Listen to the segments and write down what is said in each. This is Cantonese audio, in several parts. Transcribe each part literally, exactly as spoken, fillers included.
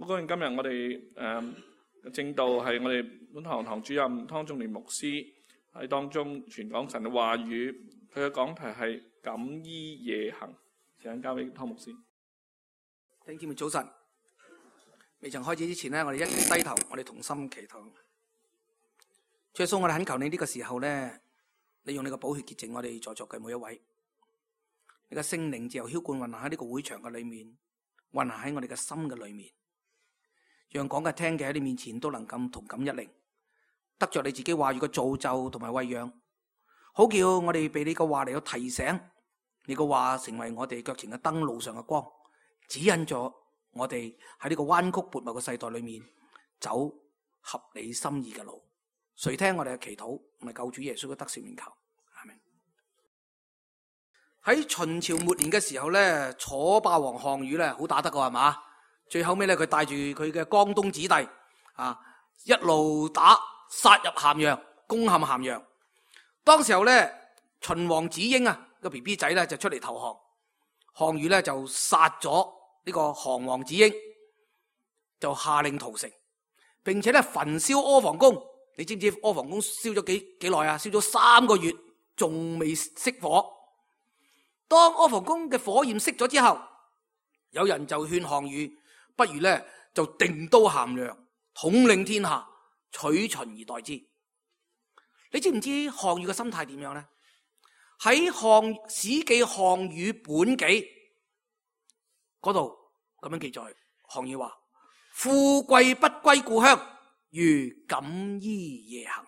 好高興今日我哋誒嘅正道係我哋本堂堂主任湯仲年牧師喺當中傳講神嘅話語，佢嘅講題係錦衣夜行。時間交俾湯牧師。弟兄姊妹早晨，未曾開始之前呢，我哋一齊低頭，我哋同心祈禱。主耶穌，我哋懇求你呢個時候呢，你用你個寶血潔淨我哋在座嘅每一位，你嘅聖靈自由澆灌運行喺呢個會場嘅裏面，運行喺我哋嘅心嘅裏面，讓講嘅聽嘅喺你面前都能夠同感一靈，得着你自己話語嘅造就同埋餵養，好叫我哋被你嘅話嚟到提醒，你嘅話成為我哋腳前嘅燈，路上嘅光，指引咗我哋喺呢個彎曲悖謬嘅世代裏面走合你心意嘅路。垂聽我哋嘅祈禱，同埋救主耶穌嘅得勝名求，阿們。喺秦朝末年嘅時候咧，楚霸王項羽咧好打得過係嘛？最後尾咧，佢帶住佢嘅江東子弟啊，一路打殺入咸陽，攻陷咸陽。當時候咧，秦王子嬰啊個 B B 仔咧就出嚟投降，項羽咧就殺咗呢個降王子嬰，就下令屠城，並且咧焚燒阿房宮。你知唔知阿房宮燒咗幾幾耐啊？燒咗三個月，仲未熄火。當阿房宮嘅火焰熄咗之後，有人就勸項羽，不如咧就定都咸陽，統領天下，取秦而代之。你知唔知項羽嘅心態點樣咧？喺項史記項羽本紀嗰度咁樣記載，項羽話：富貴不歸故鄉，如錦衣夜行。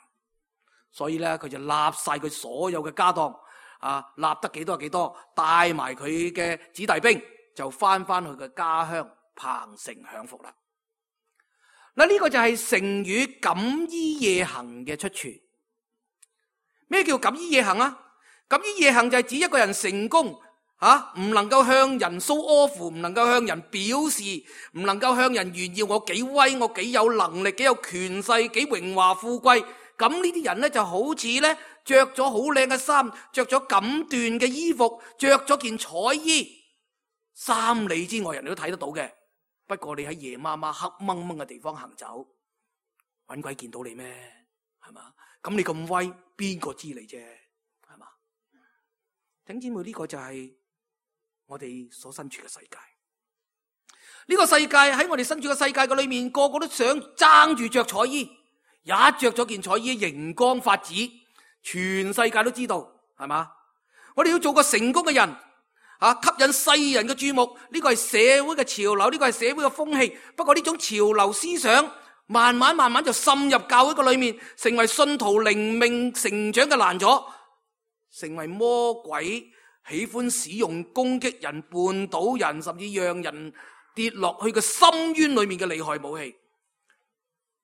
所以咧，佢就立晒佢所有嘅家當啊，立得幾多係幾多，帶埋佢嘅子弟兵，就翻翻去嘅家鄉彭城享福啦。嗱，呢個就係成語錦衣夜行嘅出處。咩叫錦衣夜行啊？錦衣夜行就係指一個人成功啊，唔能夠向人 show off， 唔能夠向人表示，唔能夠向人炫耀我幾威，我幾有能力，幾有權勢，幾榮華富貴。咁呢啲人咧就好似咧着咗好靚嘅衫，着咗錦緞嘅衣服，着咗件彩衣，三里之外人都睇得到嘅。不過你喺夜媽媽黑掹掹嘅地方行走，搵鬼見到你咩？係嘛？咁你咁威，邊個知你啫？係嘛？弟兄姊妹，呢個就係我哋所身處嘅世界。呢個世界喺我哋身處嘅世界嘅裏面，個個都想爭住着彩衣，一着咗件彩衣，熒光發紫，全世界都知道，係嘛？我哋要做個成功嘅人啊，吸引世人嘅注目，呢個係社會嘅潮流，呢個係社會嘅風氣。不過呢種潮流思想慢慢慢慢就滲入教會嘅裏面，成為信徒靈命成長嘅攔阻，成為魔鬼喜歡使用攻擊人、絆倒人，甚至讓人跌落去嘅深淵裏面嘅厲害武器。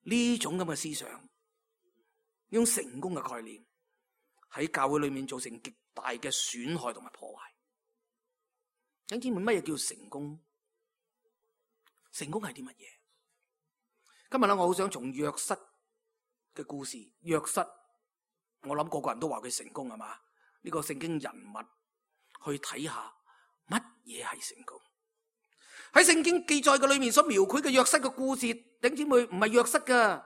呢種咁嘅思想，呢種成功嘅概念喺教會裏面造成極大嘅損害同埋破壞。弟兄姊妹，乜嘢叫成功？成功係啲乜嘢？今日咧，我好想從約瑟嘅故事，約瑟，我諗個個人都話佢成功係嘛？呢個聖經人物去睇下乜嘢係成功。喺聖經記載嘅裏面所描繪嘅約瑟嘅故事，弟兄姊妹，唔係約瑟噶。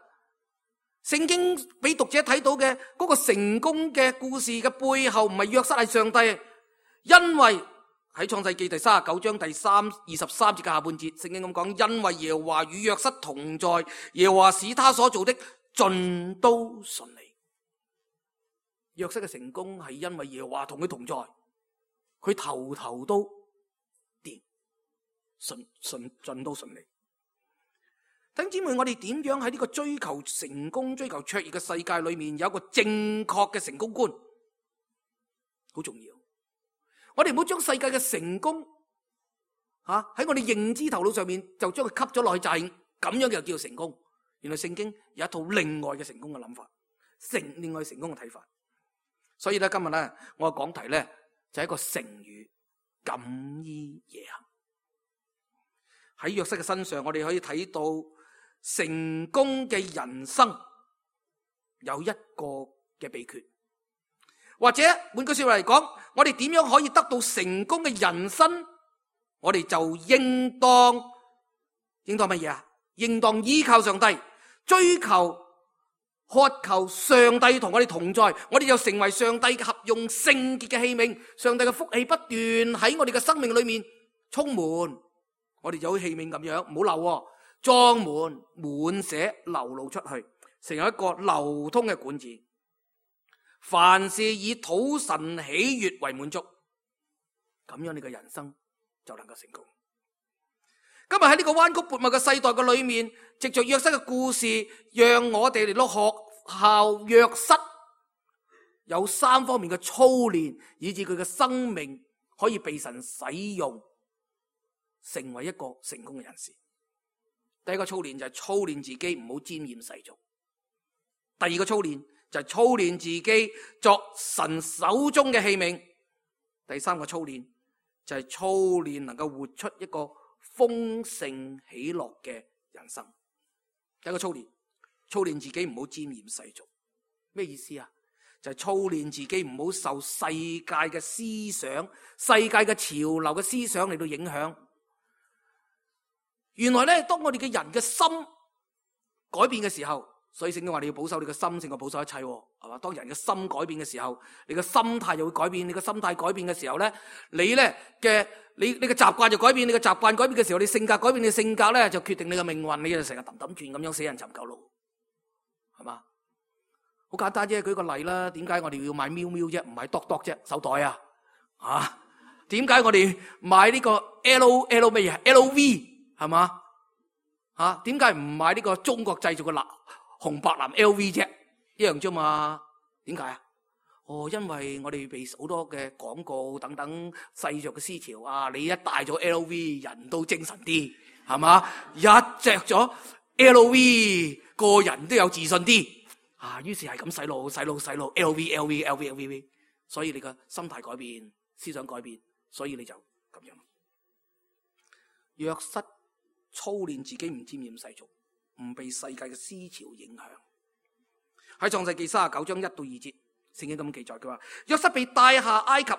聖經俾讀者睇到嘅嗰個成功嘅故事嘅背後，唔係約瑟，係上帝。因為喺創世記第三十九章第三二十三節嘅下半節，聖經咁講：因為耶和華與約瑟同在，耶和華使他所做的盡都順利。約瑟嘅成功係因為耶和華同佢同在，佢頭頭都掂，順順盡都順利。弟兄姊妹，我哋點樣喺呢個追求成功、追求卓越嘅世界裏面有一個正確嘅成功觀，好重要。我哋唔好將世界嘅成功吓喺我哋認知頭腦上面就將佢吸咗落去，就係咁樣就叫成功。原來聖經有一套另外嘅成功嘅諗法，成另外成功嘅睇法。所以咧，今日咧我嘅講題咧就係一個成語錦衣夜行。喺約瑟嘅身上，我哋可以睇到成功嘅人生有一個嘅秘訣。或者換句說話嚟講，我哋點樣可以得到成功嘅人生？我哋就應當應當乜嘢啊？應當依靠上帝，追求渴求上帝同我哋同在，我哋就成為上帝嘅合用聖潔嘅器皿，上帝嘅福氣不斷喺我哋嘅生命裏面充滿，我哋就好似器皿咁樣，唔好漏喎，裝滿滿瀉流露出去，成為一個流通嘅管子。凡事以討神喜悅為滿足，咁樣你嘅人生就能夠成功。今日喺呢個彎曲悖謬嘅世代嘅裏面，藉着約瑟嘅故事，讓我哋嚟到學效約瑟有三方面嘅操練，以致佢嘅生命可以被神使用，成為一個成功嘅人士。第一個操練就係操練自己唔好沾染世俗。第二個操練就係操練自己作神手中嘅器皿。第三個操練就係操練能夠活出一個豐盛喜樂嘅人生。第一個操練，操練自己唔好沾染世俗。咩意思啊？就係操練自己唔好受世界嘅思想、世界嘅潮流嘅思想嚟到影響。原來咧，當我哋嘅人嘅心改變嘅時候，所以聖經話你要保守你嘅心勝過保守一切，係嘛？當人嘅心改變嘅時候，你嘅心態就會改變。你嘅心態改變嘅時候咧，你咧嘅你你嘅習慣就改變。你嘅習慣改變嘅時候，你性格改變，你嘅性格咧就決定你嘅命運。你就成日揼揼轉咁樣死人尋舊路，係嘛？好簡單啫，舉個例啦。點解我哋要買喵喵啫，唔買篤篤啫？手袋啊，啊？點解我哋買呢個 L L 咩嘢 L V？係嘛？吓，點解唔買呢個中國製造嘅藍紅白藍 L V 啫？一樣啫嘛？點解啊？哦，因為我哋被好多嘅廣告等等世俗嘅思潮啊，你一戴咗 L V， 人都精神啲，係嘛？一着咗 L V， 個人都有自信啲啊。於是係咁洗腦、洗腦、洗腦 L V、L V、L V、L V， 所以你個心態改變、思想改變，所以你就咁樣。約瑟操練自己唔沾染世俗，唔被世界嘅思潮影響。喺創世記三十九章一到二節，聖經咁記載，佢話約瑟被帶下埃及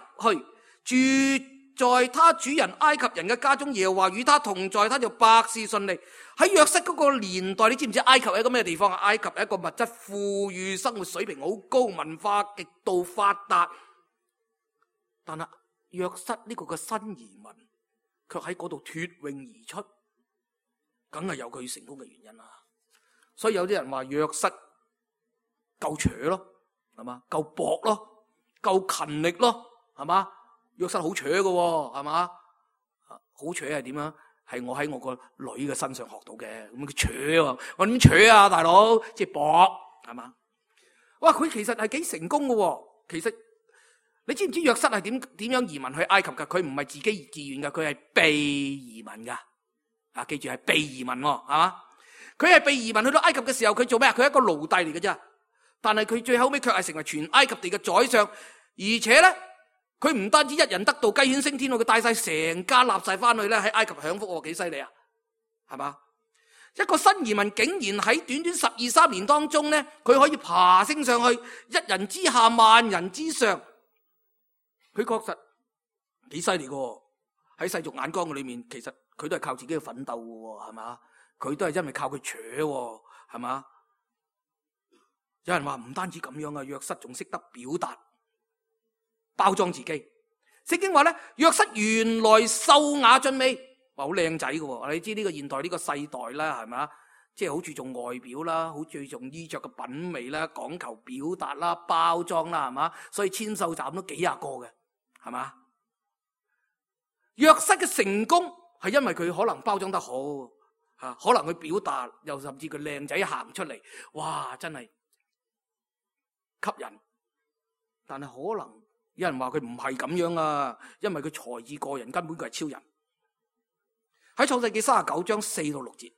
去，住在他主人埃及人嘅家中，耶和華與他同在，他就百事順利。喺約瑟嗰個年代，你知唔知埃及係一個咩地方啊？埃及係一個物質富裕、生活水平好高、文化極度發達，但係約瑟呢個嘅新移民卻喺嗰度脫穎而出，梗係有佢成功嘅原因啦。所以有啲人話約瑟夠扯咯，係嘛？夠搏咯，夠勤力咯，係嘛？約瑟好扯嘅，係嘛？好扯係點啊？係我喺我個女嘅身上學到嘅。咁佢扯啊，我點扯啊，大佬？即係搏，係嘛？哇！佢其實係幾成功嘅。其實你知唔知約瑟係點點樣移民去埃及噶？佢唔係自己自願噶，佢係被移民噶。啊，記住係被移民，係嘛？佢係被移民去到埃及嘅時候，佢做咩啊？佢係一個奴隸嚟嘅啫。但係佢最後尾卻係成為全埃及地嘅宰相，而且咧，佢唔單止一人得道雞犬升天，佢帶晒成家立晒翻去咧喺埃及享福，幾犀利啊？係嘛？一個新移民竟然喺短短十二三年當中咧，佢可以爬升上去，一人之下萬人之上，佢確實幾犀利嘅。喺世俗眼光嘅裏面，其實佢都係靠自己嘅奮鬥嘅，係嘛？佢都係因為靠佢扯，係嘛？有人話唔單止咁樣啊，約瑟仲識得表達、包裝自己。聖經話咧，約瑟原來秀雅俊美，話好靚仔嘅。你知呢個現代呢個世代啦，係嘛？即係好注重外表啦，好注重衣着嘅品味啦，講求表達啦、包裝啦，係嘛？所以千秀站都幾廿個嘅，係嘛？約瑟嘅成功係因為佢可能包裝得好，吓可能佢表達，又甚至佢靚仔行出嚟，哇，真係吸引。但係可能有人話佢唔係咁樣啊，因為佢才智過人，根本佢係超人。喺創世記三十九章四到六節，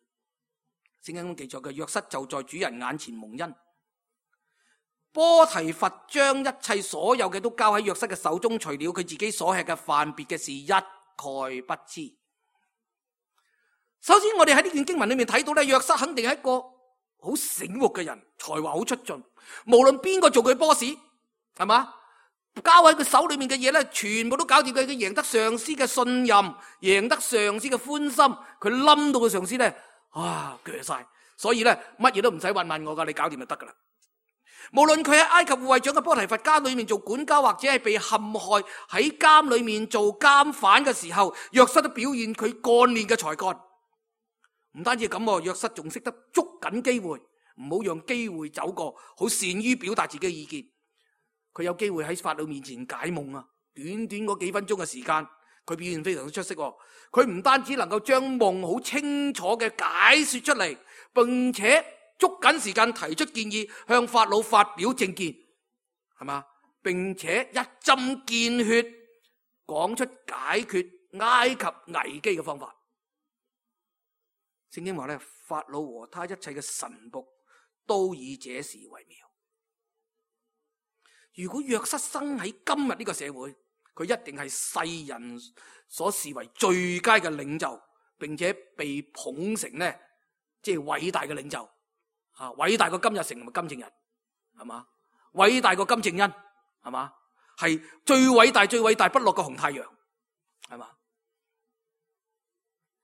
聖經記載嘅約瑟就在主人眼前蒙恩。波提乏將一切所有嘅都交喺約瑟嘅手中，除了佢自己所吃嘅飯，別嘅事一概不知。首先我哋喺呢段經文裏面睇到咧，約瑟肯定係一個好醒目嘅人，才華好出眾，無論邊個做佢 boss， 係嘛？交喺佢手裏面嘅嘢咧，全部都搞掂佢。佢贏得上司嘅信任，贏得上司嘅歡心，佢冧到個上司咧，啊，鋸晒。所以咧，乜嘢都唔使問問我噶，你搞掂就得噶啦。無論佢喺埃及護衛長嘅波提乏家裏面做管家，或者係被陷害喺監裏面做監犯嘅時候，約瑟都表現佢幹練嘅才幹。唔單止咁，約瑟仲識得捉緊機會，唔好讓機會走過，好善於表達自己嘅意見。佢有機會喺法老面前解夢啊！短短嗰幾分鐘嘅時間，佢表現非常之出色。佢唔單止能夠將夢好清楚嘅解說出嚟，並且捉緊時間提出建議，向法老發表政見，係嘛？並且一針見血講出解決埃及危機嘅方法。聖經話咧，法老和他一切嘅臣僕都以這事為妙。如果約瑟生喺今日呢個社會，佢一定係世人所視為最佳嘅領袖，並且被捧成呢，即係偉大嘅領袖啊！偉大過金日成同埋金正日，係嘛？偉大過金正恩，係嘛？係最偉大、最偉大不落嘅紅太陽，係嘛？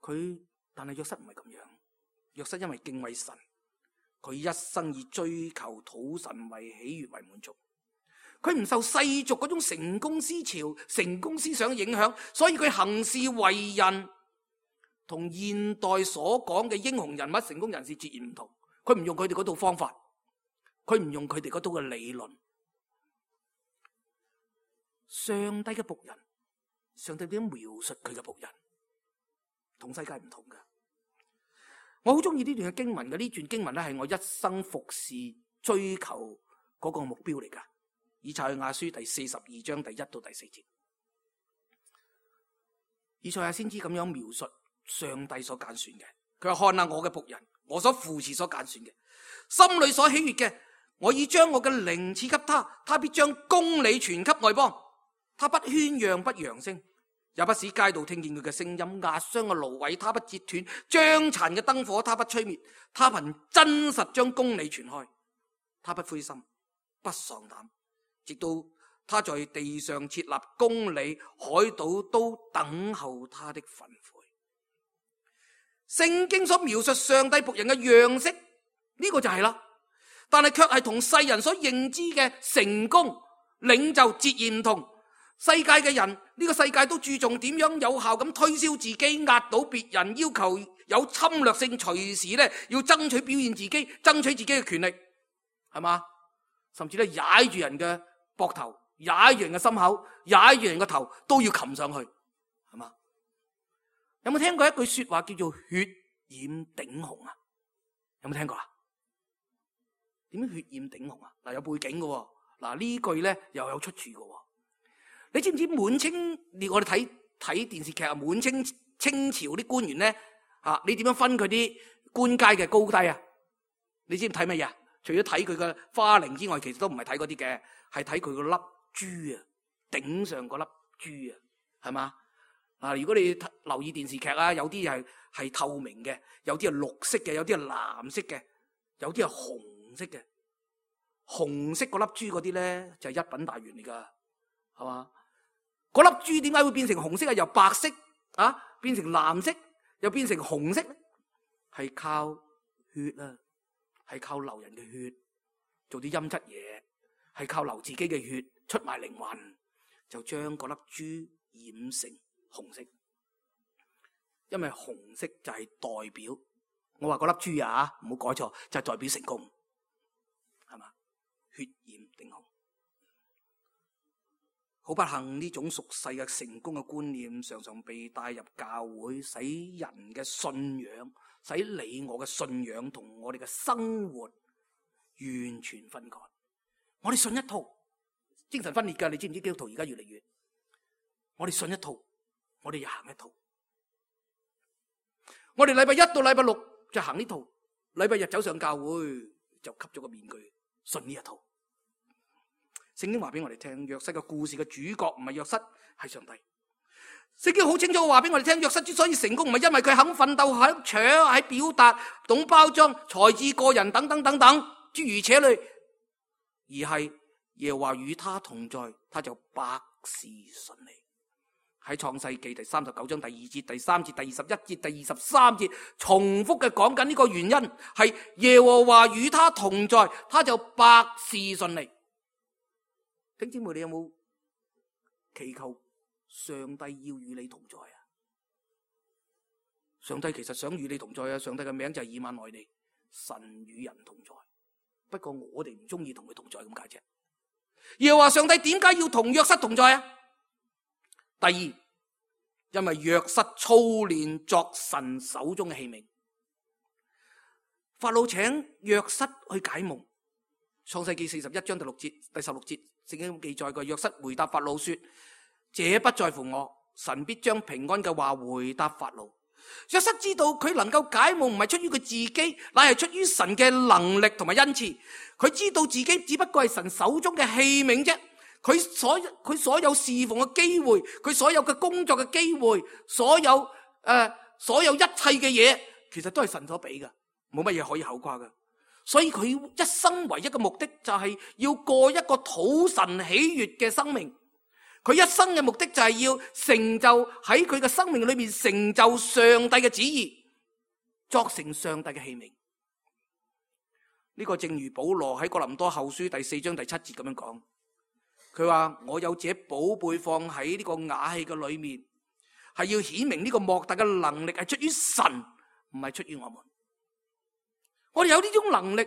佢但係約瑟唔係咁樣，約瑟因為敬畏神，佢一生以追求討神為喜悅為滿足。佢唔受世俗嗰種成功思潮、成功思想影響，所以佢行事為人同現代所講嘅英雄人物、成功人士截然唔同。佢唔用佢哋嗰套方法，佢唔用佢哋嗰套嘅理論。上帝嘅僕人，上帝點樣描述佢嘅僕人，同世界唔同㗎。我好中意呢段嘅經文嘅，呢段經文咧係我一生服侍追求嗰個目標嚟㗎。以賽亞書第四十二章第一到第四節，以賽亞先知咁樣描述上帝所揀選嘅。佢話：看下我嘅僕人，我所扶持所揀選嘅，心裏所喜悅嘅，我已將我嘅靈賜給他，他必將公理傳給外邦。他不喧嚷不揚聲，也不使街道聽見佢嘅聲音。壓傷嘅蘆葦他不折斷，將殘嘅燈火他不吹滅。他憑真實將公理傳開，他不灰心不喪膽，直到他在地上設立公理，海島都等候他的訓誨。聖經所描述上帝僕人嘅樣式，呢個就係啦，但係卻係同世人所認知嘅成功領袖截然唔同。世界嘅人，呢個世界都注重點樣有效咁推銷自己，壓倒別人，要求有侵略性，隨時咧要爭取表現自己，爭取自己嘅權力，係嘛？甚至咧踩住人嘅膊頭，踩住人嘅心口，踩住人嘅頭，都要擒上去，係嘛？有冇聽過一句說話叫做血染頂紅啊？有冇聽過啊？點樣血染頂紅啊？嗱，有背景嘅，嗱呢句咧又有出處嘅。你知唔知滿清？我哋睇睇電視劇啊，滿清清朝啲官員咧，啊，你點樣分佢啲官階嘅高低啊？你知唔知睇乜嘢？除咗睇佢嘅花翎之外，其實都唔係睇嗰啲嘅，係睇佢個粒珠啊，頂上嗰粒珠啊，係嘛？啊，如果你留意電視劇啊，有啲係係透明嘅，有啲係綠色嘅，有啲係藍色嘅，有啲係紅色嘅。紅色嗰粒珠嗰啲咧就係一品大員嚟噶，係嘛？嗰粒珠點解會變成紅色啊？由白色啊變成藍色，又變成紅色咧？係靠血啊，係靠流人嘅血做啲陰質嘢，係靠流自己嘅血出賣靈魂，就將嗰粒珠染成紅色。因為紅色就係代表，我話嗰粒珠啊，唔好改錯，就係代表成功，係嘛？血染頂紅。好不幸，呢種俗世嘅成功嘅觀念常常被帶入教會，使人嘅信仰，使你我嘅信仰同我哋嘅生活完全分割。我哋信一套，精神分裂㗎，你知唔知基督徒而家越嚟越？我哋信一套，我哋又行一套。我哋禮拜一到禮拜六就行呢套，禮拜日走上教會就吸咗個面具，信呢一套。聖經話俾我哋聽，約瑟嘅故事嘅主角唔係約瑟，係上帝。聖經好清楚話俾我哋聽，約瑟之所以成功，唔係因為佢肯奮鬥、肯搶、喺表達、懂包裝、才智過人等等等等諸如此類，而係耶和華與他同在，他就百事順利。喺創世記第三十九章第二節、第三節、第二十一節、第二十三節重複嘅講緊呢個原因，係耶和華與他同在，他就百事順利。弟兄姊妹，你有冇祈求上帝要與你同在啊？上帝其實想與你同在啊！上帝嘅名就係以馬內利，神與人同在。不過我哋唔中意同佢同在咁解啫。耶和華上帝點解要同約瑟同在啊？第二，因為約瑟操練作神手中嘅器皿。法老請約瑟去解夢，創世記四十一章第六節、第十六節聖經記載過，約瑟回答法老說：這不在乎我，神必將平安嘅話回答法老。約瑟知道佢能夠解夢唔係出於佢自己，乃係出於神嘅能力同埋恩賜。佢知道自己只不過係神手中嘅器皿啫。佢所佢所有侍奉嘅機會，佢所有嘅工作嘅機會，所有誒、呃、所有一切嘅嘢，其實都係神所俾嘅，冇乜嘢可以口誇嘅。所以佢一生唯一嘅目的就係要過一個討神喜悅嘅生命。佢一生嘅目的就係要成就喺佢嘅生命裏面成就上帝嘅旨意，作成上帝嘅器皿。呢個正如保羅喺哥林多後書第四章第七節咁樣講，佢話我有這寶貝放喺呢個瓦器嘅裏面，係要顯明呢個莫大嘅能力係出於神，唔係出於我們。我哋有呢種能力，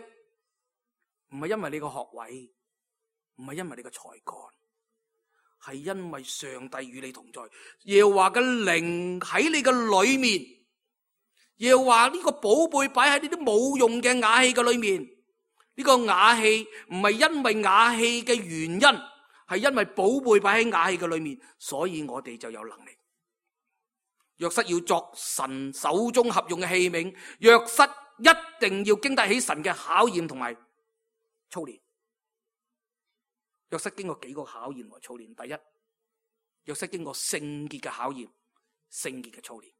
唔係因為你個學位，唔係因為你個才幹，係因為上帝與你同在。耶和華嘅靈喺你嘅裏面，耶和華呢個寶貝擺喺呢啲冇用嘅瓦器嘅裏面。呢個瓦器唔係因為瓦器嘅原因，係因為寶貝擺喺瓦器嘅裏面，所以我哋就有能力。約瑟要作神手中合用嘅器皿，約瑟一定要經得起神嘅考驗同埋操練。約瑟經過幾個考驗和操練。第一，約瑟經過聖潔嘅考驗，聖潔嘅操練。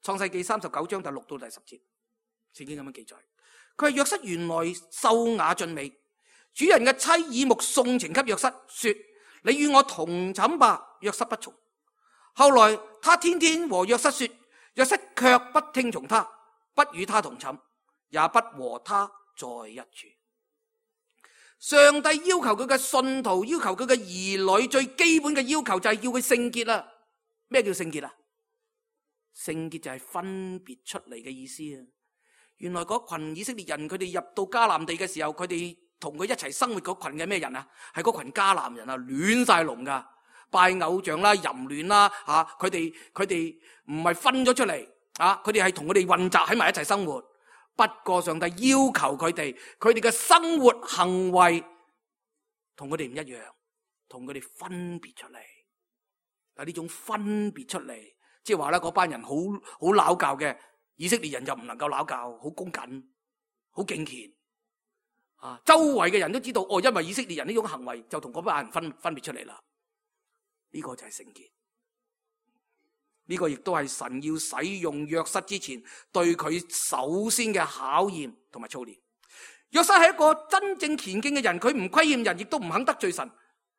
創世記三十九章第六到第十節，聖經咁樣記載。佢係約瑟原來秀雅俊美，主人嘅妻耳目送情給約瑟，說：你與我同寢吧。約瑟不從。後來他天天和約瑟說，約瑟卻不聽從他，不與他同寢，也不和他在一處。上帝要求佢嘅信徒，要求佢嘅兒女，最基本嘅要求就係要佢聖潔啦。咩叫聖潔啊？聖潔就係分別出嚟嘅意思啊！原來嗰群以色列人，佢哋入到迦南地嘅時候，佢哋同佢一齊生活嗰群嘅咩人啊？係嗰群迦南人啊，亂晒龍噶，拜偶像啦、淫亂啦，吓佢哋佢哋唔係分咗出嚟啊，佢哋係同佢哋混雜喺埋一齊生活。不過上帝要求佢哋，佢哋嘅生活行為同佢哋唔一樣，同佢哋分別出嚟。但呢種分別出嚟，即係話咧，嗰班人好好拗教嘅。以色列人就唔能夠鬧教，好恭謹，好敬虔啊！周圍嘅人都知道，哦，因為以色列人呢種行為，就同嗰班人分分別出嚟啦。呢個就係聖潔，呢個亦都係神要使用約瑟之前，對佢首先嘅考驗同埋操練。約瑟係一個真正虔敬嘅人，佢唔虧欠人，亦都唔肯得罪神。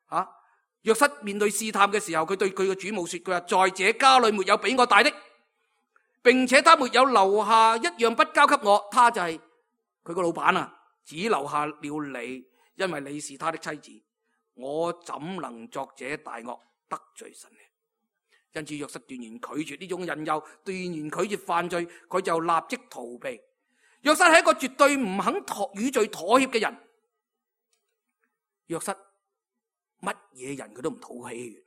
啊！約瑟面對試探嘅時候，佢對佢嘅主母說：佢話在這家裏沒有比我大的。並且他沒有留下一樣不交給我，他就係佢個老闆啊，只留下了你，因為你是他的妻子。我怎能作這大惡得罪神呢？因此約瑟斷然拒絕呢種引誘，斷然拒絕犯罪，佢就立即逃避。約瑟係一個絕對唔肯妥與罪妥協嘅人。約瑟乜嘢人佢都唔討喜悅，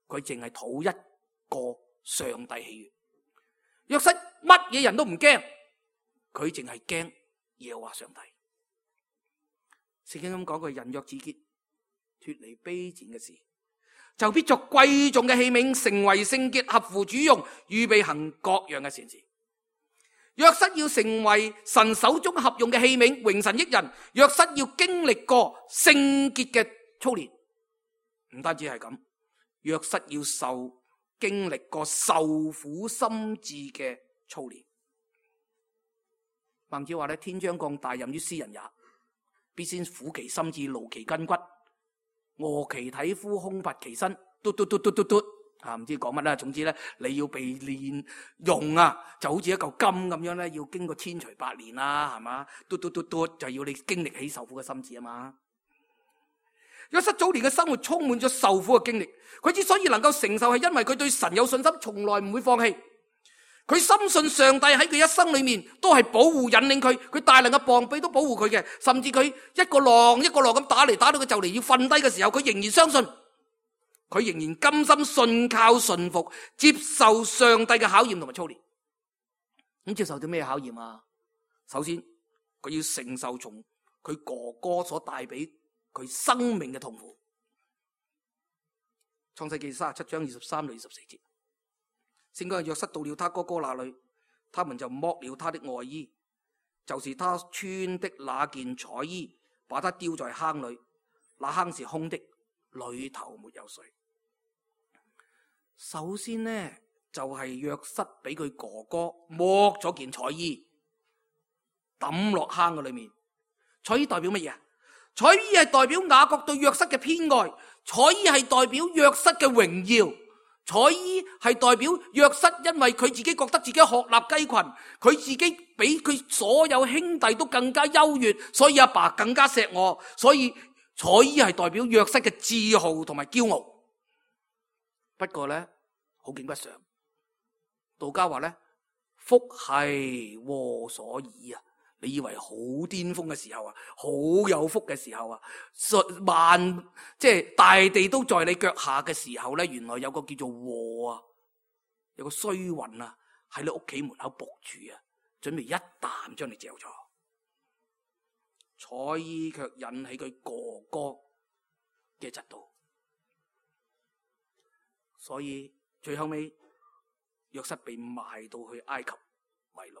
佢淨係討一個上帝喜悅。約瑟乜嘢人都唔驚，佢淨係驚耶和華上帝。聖經咁講，佢人若自潔，脫離卑賤嘅事，就必作貴重嘅器皿，成為聖潔，合乎主用，預備行各樣嘅善事。約瑟要成為神手中合用嘅器皿，榮神益人。約瑟要經歷過聖潔嘅操練，唔單止係咁，約瑟要受。經歷過受苦心志嘅操練。孟子話咧：天將降大任於斯人也，必先苦其心志，勞其筋骨，餓其體膚，空乏其身，嘟嘟嘟嘟嘟嘟，啊，唔知講乜啦。總之咧，你要被煉用啊，就好似一嚿金咁樣咧，要經過千錘百煉啦，係嘛？嘟嘟嘟嘟，就要你經歷起受苦嘅心志啊嘛。約瑟早年嘅生活充滿咗受苦嘅經歷，佢之所以能夠承受，係因為佢對神有信心，從來唔會放棄。佢深信上帝喺佢一生裏面都係保護引領佢，佢大能嘅膀臂都保護佢嘅，甚至佢一個浪一個浪咁打嚟，打到佢就嚟要瞓低嘅時候，佢仍然相信，佢仍然甘心信靠順服，接受上帝嘅考驗同埋操練。咁接受啲咩考驗啊？首先，佢要承受從佢哥哥所帶俾佢生命嘅痛苦。創世記三十七章二十三到二十四節，聖經話約瑟到了他哥哥那裏，他們就剝了他的外衣，就是他穿的那件彩衣，把他丟在坑裏，那坑是空的，裏頭沒有水。首先呢，就係約瑟俾佢哥哥剝咗件彩衣，抌落坑嘅裏面。彩衣代表乜嘢？彩衣係代表雅各對約瑟嘅偏愛，彩衣係代表約瑟嘅榮耀，彩衣係代表約瑟因為佢自己覺得自己鶴立雞群，佢自己比佢所有兄弟都更加優越，所以阿爸更加錫我，所以彩衣係代表約瑟嘅自豪同埋驕傲。不過咧，好景不常，道家話咧，福係禍所倚啊！你以為好巔峰嘅時候啊，好有福嘅時候啊，萬即係大地都在你腳下嘅時候咧，原來有個叫做禍啊，有個衰運啊喺你屋企門口伏住啊，準備一啖將你嚼咗。彩衣卻引起佢哥哥嘅嫉妒，所以最後尾約瑟被賣到去埃及為奴。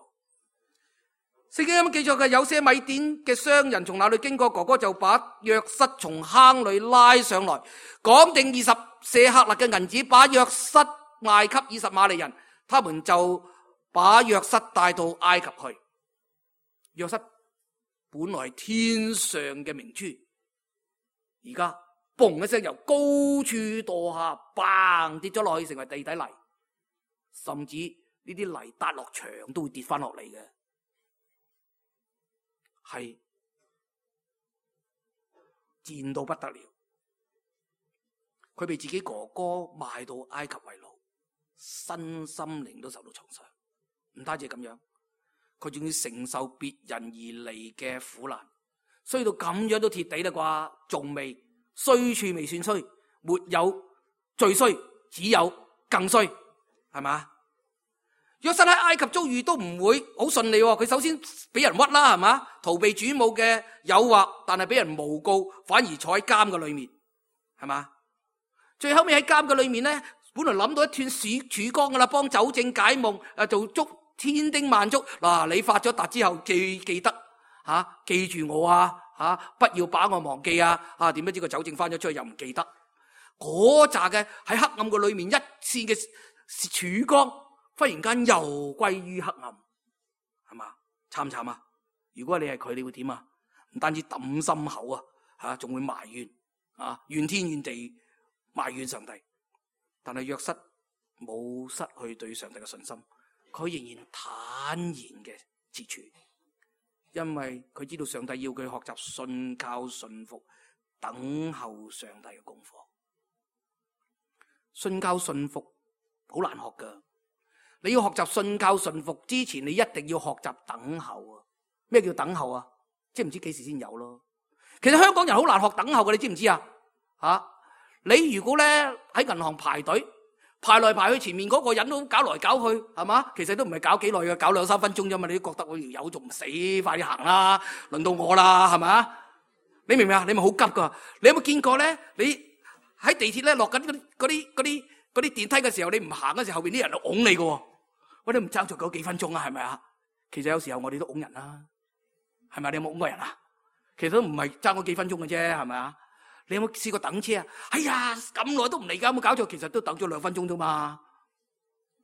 聖經有冇記載嘅？有些米甸嘅商人從那裏經過，哥哥就把約瑟從坑裏拉上來，講定二十舍客勒嘅銀子，把約瑟賣給二十馬利人，他們就把約瑟帶到埃及去。約瑟本來係天上嘅明珠，而家嘣一聲由高處墮下，砰跌咗落去，成為地底泥，甚至呢啲泥笪落牆都會跌翻落嚟嘅。係賤到不得了，佢被自己哥哥賣到埃及為奴，身心靈都受到創傷。唔單止咁樣，佢仲要承受別人而嚟嘅苦難，衰到咁樣都貼地啦啩，仲未衰處未算衰，沒有最衰，只有更衰，係嘛？約瑟喺埃及遭遇都唔會好順利，佢首先俾人屈啦，係嘛？逃避主母嘅誘惑，但係俾人誣告，反而坐喺監嘅裏面，係嘛？最後尾喺監嘅裏面咧，本來諗到一段曙曙光噶啦，幫酒政解夢，誒做足千叮萬囑。嗱，你發咗達之後記記得吓、啊，記住我啊吓、啊，不要把我忘記啊！啊，點不知個酒政翻咗出去又唔記得，嗰扎嘅喺黑暗嘅裏面一線嘅曙光，忽然間又歸於黑暗，係嘛？慘唔慘啊？如果你係佢，你會點啊？唔單止抌心口啊，吓仲會埋怨啊，怨天怨地，埋怨上帝。但係約瑟冇失去對上帝嘅信心，佢仍然坦然嘅自處，因為佢知道上帝要佢學習信靠信服，等候上帝嘅功課。信靠信服好難學噶。你要學習信靠順服之前，你一定要學習等候啊！咩叫等候啊？即係唔知幾時先有咯。其實香港人好難學等候嘅，你知唔知啊？吓，你如果咧喺銀行排隊排來排去，前面嗰個人都搞來搞去，係嘛？其實都唔係搞幾耐嘅，搞兩三分鐘啫嘛。你都覺得我條友仲唔死，快啲行啦！輪到我啦，係咪？你明唔明啊？你咪好急噶。你有冇見過咧？你喺地鐵咧落緊嗰啲嗰啲嗰啲嗰啲電梯嘅時候，你唔行嘅時候，後邊啲人就拱你嘅。我哋唔爭咗嗰幾分鐘啊，係咪啊？其實有時候我哋都拱人啦，係咪？你有冇拱過人啊？其實都唔係爭嗰幾分鐘嘅啫，係咪啊？你有冇試過等車啊？哎呀，咁耐都唔嚟噶，有冇搞錯？其實都等咗兩分鐘啫嘛，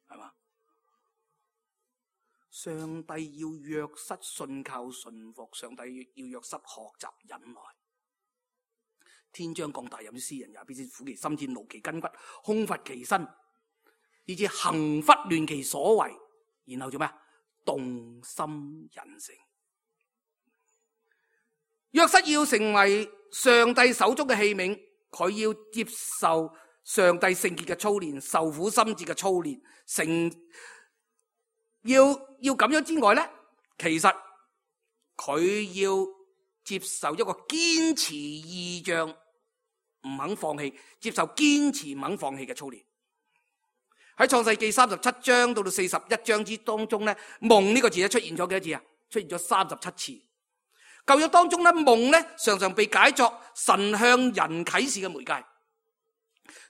係嘛？上帝要約瑟信靠順服，上帝要約瑟學習忍耐。天將降大任於斯人也，必先苦其心志，勞其筋骨，空乏其身。以致行拂亂其所為，然後做咩？動心忍性。約瑟要成為上帝手中嘅器皿，佢要接受上帝聖潔嘅操練，受苦心志嘅操練，成要要咁樣之外咧，其實佢要接受一個堅持異象，唔肯放棄，接受堅持唔肯放棄嘅操練。喺創世記三十七章到到四十一章之當中咧，夢呢個字咧出現咗幾多次啊？出現咗三十七次。舊約當中咧，夢咧常常被解作神向人啟示嘅媒介。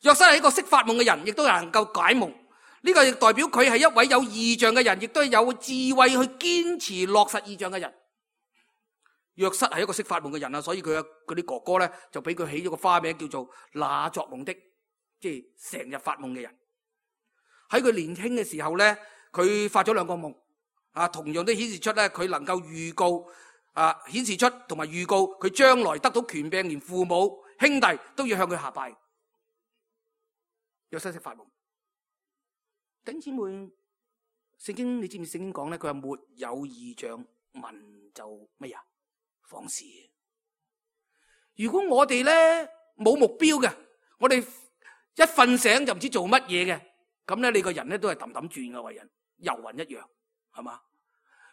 約瑟係一個識發夢嘅人，亦都能夠解夢。呢個亦代表佢係一位有異象嘅人，亦都係有智慧去堅持落實異象嘅人。約瑟係一個識發夢嘅人啊，所以佢嘅嗰啲哥哥咧就俾佢起咗個花名叫做那作夢的，即係成日發夢嘅人。喺佢年輕嘅時候咧，佢發咗兩個夢啊，同樣都顯示出咧佢能夠預告啊，顯示出同埋預告佢將來得到權柄，連父母兄弟都要向佢下拜。約瑟識發夢。弟兄姊妹，聖經你知唔知聖經講咧？佢話沒有異象，民就乜嘢？放肆。如果我哋咧冇目標嘅，我哋一瞓醒就唔知做乜嘢嘅，咁咧你個人咧都係氹氹轉嘅，為人遊魂一樣，係嘛？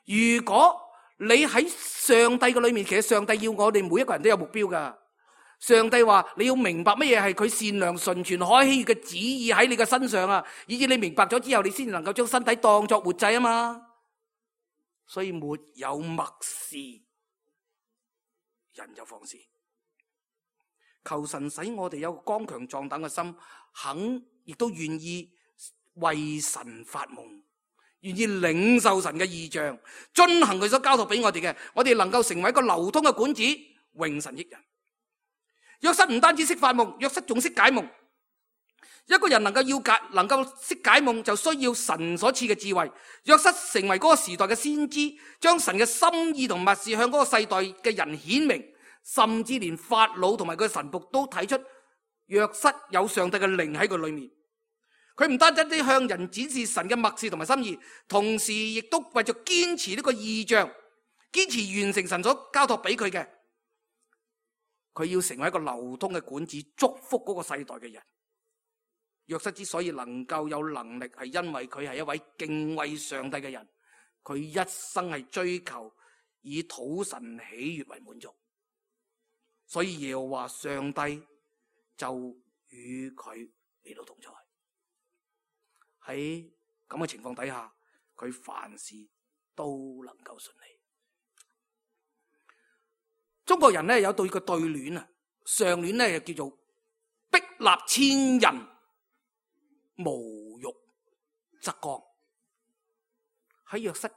如果你喺上帝嘅裏面，其實上帝要我哋每一個人都有目標噶。上帝話你要明白乜嘢係佢善良純全可喜悅嘅旨意喺你嘅身上啊，以至你明白咗之後，你先能夠將身體當作活祭啊嘛。所以沒有默示，人就放肆。求神使我哋有個剛強壯膽嘅心，肯亦都願意為神發夢，願意領受神嘅異象，遵行佢所交託俾我哋嘅，我哋能夠成為一個流通嘅管子，榮神益人。約瑟唔單止識發夢，約瑟仲識解夢。一個人能夠要解，能夠識解夢，就需要神所賜嘅智慧。約瑟成為嗰個時代嘅先知，將神嘅心意同默示向嗰個世代嘅人顯明，甚至連法老同埋佢嘅臣僕都睇出約瑟有上帝嘅靈喺佢裏面。佢唔單止啲向人展示神嘅默示同埋心意，同時亦都為咗堅持呢個異象，堅持完成神所交託俾佢嘅。佢要成為一個流通嘅管子，祝福嗰個世代嘅人。約瑟之所以能夠有能力，係因為佢係一位敬畏上帝嘅人，佢一生係追求以討神喜悦為滿足，所以耶和華上帝就與佢嚟到同在。喺咁嘅情況底下，佢凡事都能夠順利。中國人咧有對個對聯啊，上聯咧叫做壁立千人，無欲則剛。喺約瑟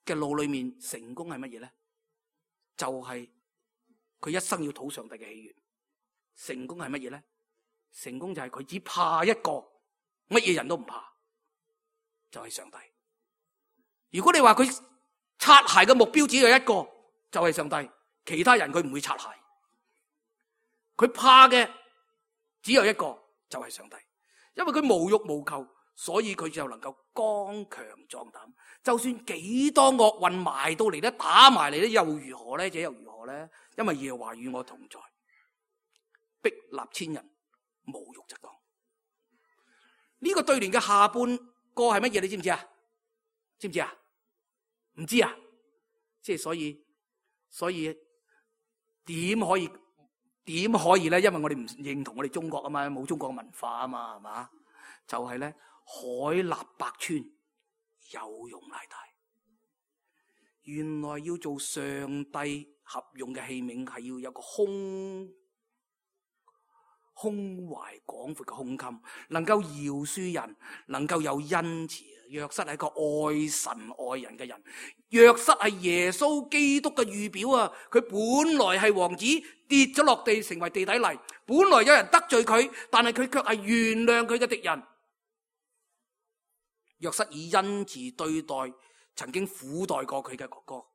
嘅路裏面，成功係乜嘢咧？就係、是、佢一生要討上帝嘅喜悅。成功係乜嘢咧？成功就係佢只怕一個，乜嘢人都唔怕，就係、是、上帝。如果你話佢擦鞋嘅目標只有一個，就係、是、上帝。其他人佢唔會擦鞋，佢怕嘅只有一個，就係上帝。因為佢無欲無求，所以佢就能夠剛強壯膽。就算幾多惡運埋到嚟咧，打埋嚟咧，又如何咧？這又如何咧？因為耶和華與我同在，壁立千人，無欲則剛。呢、這個對聯嘅下半個係乜嘢？你知唔知啊？知唔知啊？唔知啊？即係所以，所以。點可以點可以咧？因為我哋唔認同我哋中國啊嘛，冇中國嘅文化啊嘛，係嘛？就係、是、咧，海納百川，有容乃大。原來要做上帝合用嘅器皿，係要有個胸胸懷廣闊嘅胸襟，能夠饒恕人，能夠有恩慈。約瑟係一個愛神愛人嘅人，約瑟係耶穌基督嘅預表啊！佢本來係王子，跌咗落地成為地底泥，本來有人得罪佢，但係佢卻係原諒佢嘅敵人。約瑟以恩慈對待曾經苦待過佢嘅哥哥，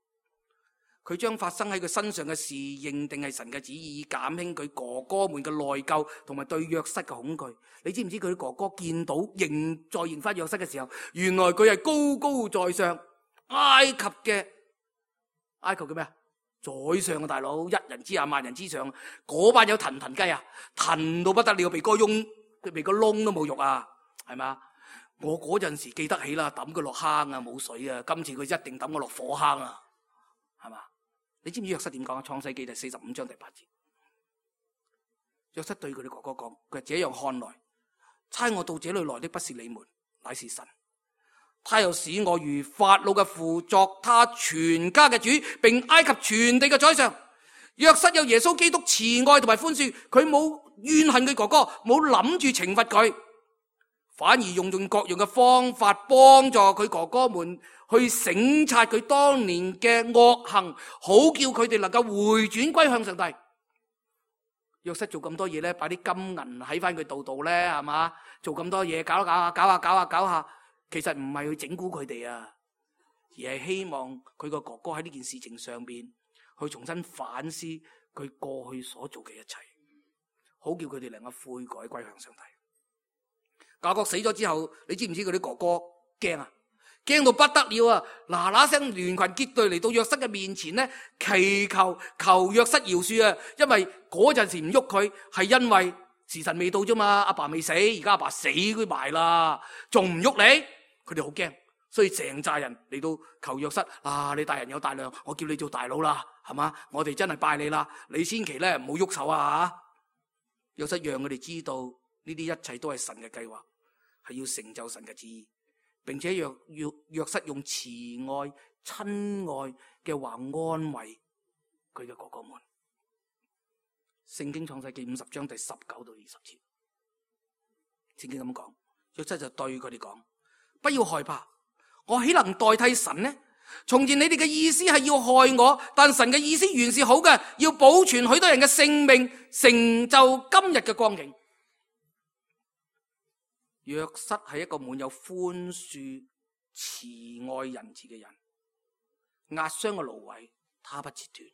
佢將發生喺佢身上嘅事認定係神嘅旨意，減輕佢哥哥們嘅內疚同埋對約瑟嘅恐懼。你知唔知佢啲哥哥見到認再認翻約瑟嘅時候，原來佢係高高在上，埃及嘅埃及嘅咩啊？宰相嘅大佬，一人之下萬人之上，嗰班有騰騰雞啊，騰到不得了，鼻哥窿佢鼻哥窿都冇肉啊，係嘛？我嗰陣時記得起啦，抌佢落坑啊，冇水啊，今次佢一定抌我落火坑啊，係嘛？你知唔知約瑟點講啊？創世記第四十五章第八節，約瑟對佢哋哥哥講：佢這樣看來，差我到這裏來的不是你們，乃是神。他又使我如法老嘅父，作他全家嘅主，並埃及全地嘅宰相。約瑟有耶穌基督慈愛同埋寬恕，佢冇怨恨佢哥哥，冇諗住懲罰佢，反而用盡各樣嘅方法幫助佢哥哥們去省察佢當年嘅惡行，好叫佢哋能夠回轉歸向上帝。約瑟做咁多嘢咧，擺啲金銀喺翻佢度度咧，係嘛？做咁多嘢，搞搞下，搞下，搞下，搞下，其實唔係去整蠱佢哋啊，而係希望佢個哥哥喺呢件事情上邊去重新反思佢過去所做嘅一切，好叫佢哋能夠悔改歸向上帝。雅各死咗之後，你知唔知佢啲哥哥驚啊？驚到不得了啊！嗱嗱聲聯群結隊嚟到約瑟嘅面前咧，祈求求約瑟饒恕啊！因為嗰陣時唔喐佢，係因為時辰未到啫嘛，阿爸未死，而家阿爸死佢埋啦，仲唔喐你？佢哋好驚，所以成扎人嚟到求約瑟啊！你大人有大量，我叫你做大佬啦，係嘛？我哋真係拜你啦，你千祈咧唔好喐手啊！約瑟讓佢哋知道呢啲一切都係神嘅計劃，係要成就神嘅旨意，並且約約約瑟用慈愛、親愛嘅話安慰佢嘅哥哥們。聖經創世記五十章第十九到二十節，聖經咁講，約瑟就對佢哋講：不要害怕，我豈能代替神呢？從前你哋嘅意思係要害我，但神嘅意思原是好嘅，要保存許多人嘅性命，成就今日嘅光景。約瑟係一個滿有寬恕、慈愛、仁慈嘅人，壓傷嘅蘆葦他不切斷，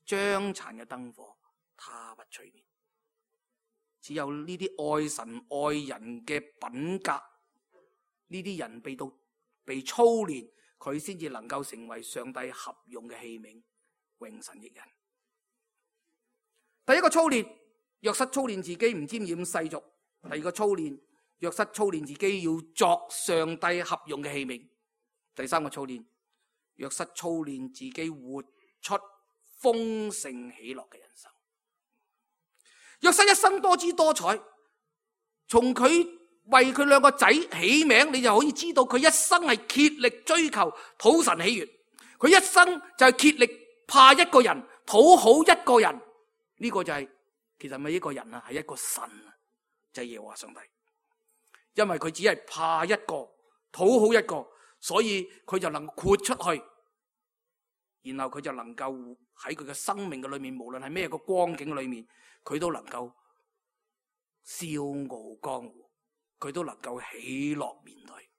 將殘嘅燈火他不吹滅。只有呢啲愛神愛人嘅品格，呢啲人被到被操練，佢先至能夠成為上帝合用嘅器皿，榮神益人。第一個操練，約瑟操練自己唔沾染世俗；第二個操練，約瑟操練自己要作上帝合用嘅器皿；第三個操練，約瑟操練自己活出豐盛喜樂嘅人生。約瑟一生多姿多彩，從佢為佢兩個仔起名，你就可以知道佢一生係竭力追求討神喜悅，佢一生就係竭力怕一個人，討好一個人。呢、這個就係、是、其實唔係一個人啊，係一個神啊，就係耶和華上帝。因為佢只係怕一個，討好一個，所以佢就能豁出去，然後佢就能夠喺佢嘅生命嘅裏面，無論係咩個光景裏面，佢都能夠笑傲江湖，佢都能夠喜樂面對，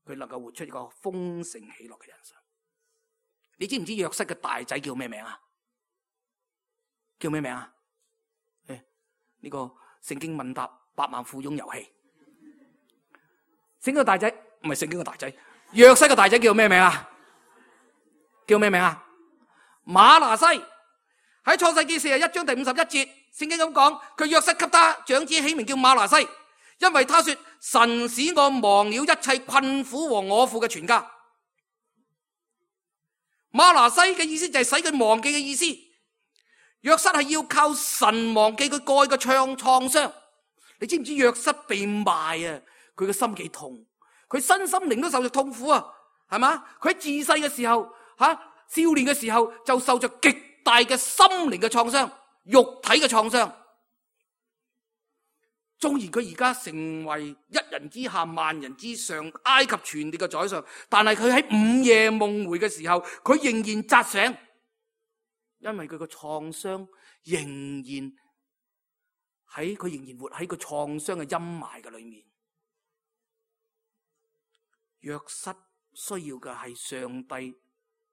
佢能夠活出一個豐盛喜樂嘅人生。你知唔知約瑟嘅大仔叫咩名啊？叫咩名啊？誒，呢個聖經問答百萬富翁遊戲。聖經嘅大仔唔係聖經嘅大仔，約瑟嘅大仔叫咩名啊？叫咩名啊？馬拿西。喺創世記四十一章第五十一節，聖經咁講，佢約瑟給他長子起名叫馬拿西，因為他說：神使我忘了一切困苦和我父嘅全家。馬拿西嘅意思就係使佢忘記嘅意思。約瑟係要靠神忘記佢過去嘅創創傷。你知唔知約瑟被賣啊？佢嘅心幾痛，佢身心靈都受着痛苦啊，係嘛？佢喺自細嘅時候，吓、啊、少年嘅時候就受着極大嘅心靈嘅創傷，肉體嘅創傷。縱然佢而家成為一人之下萬人之上，埃及全地嘅宰相，但係佢喺午夜夢回嘅時候，佢仍然扎醒，因為佢個創傷仍然喺佢仍然活喺個創傷嘅陰霾嘅裏面。約瑟需要嘅係上帝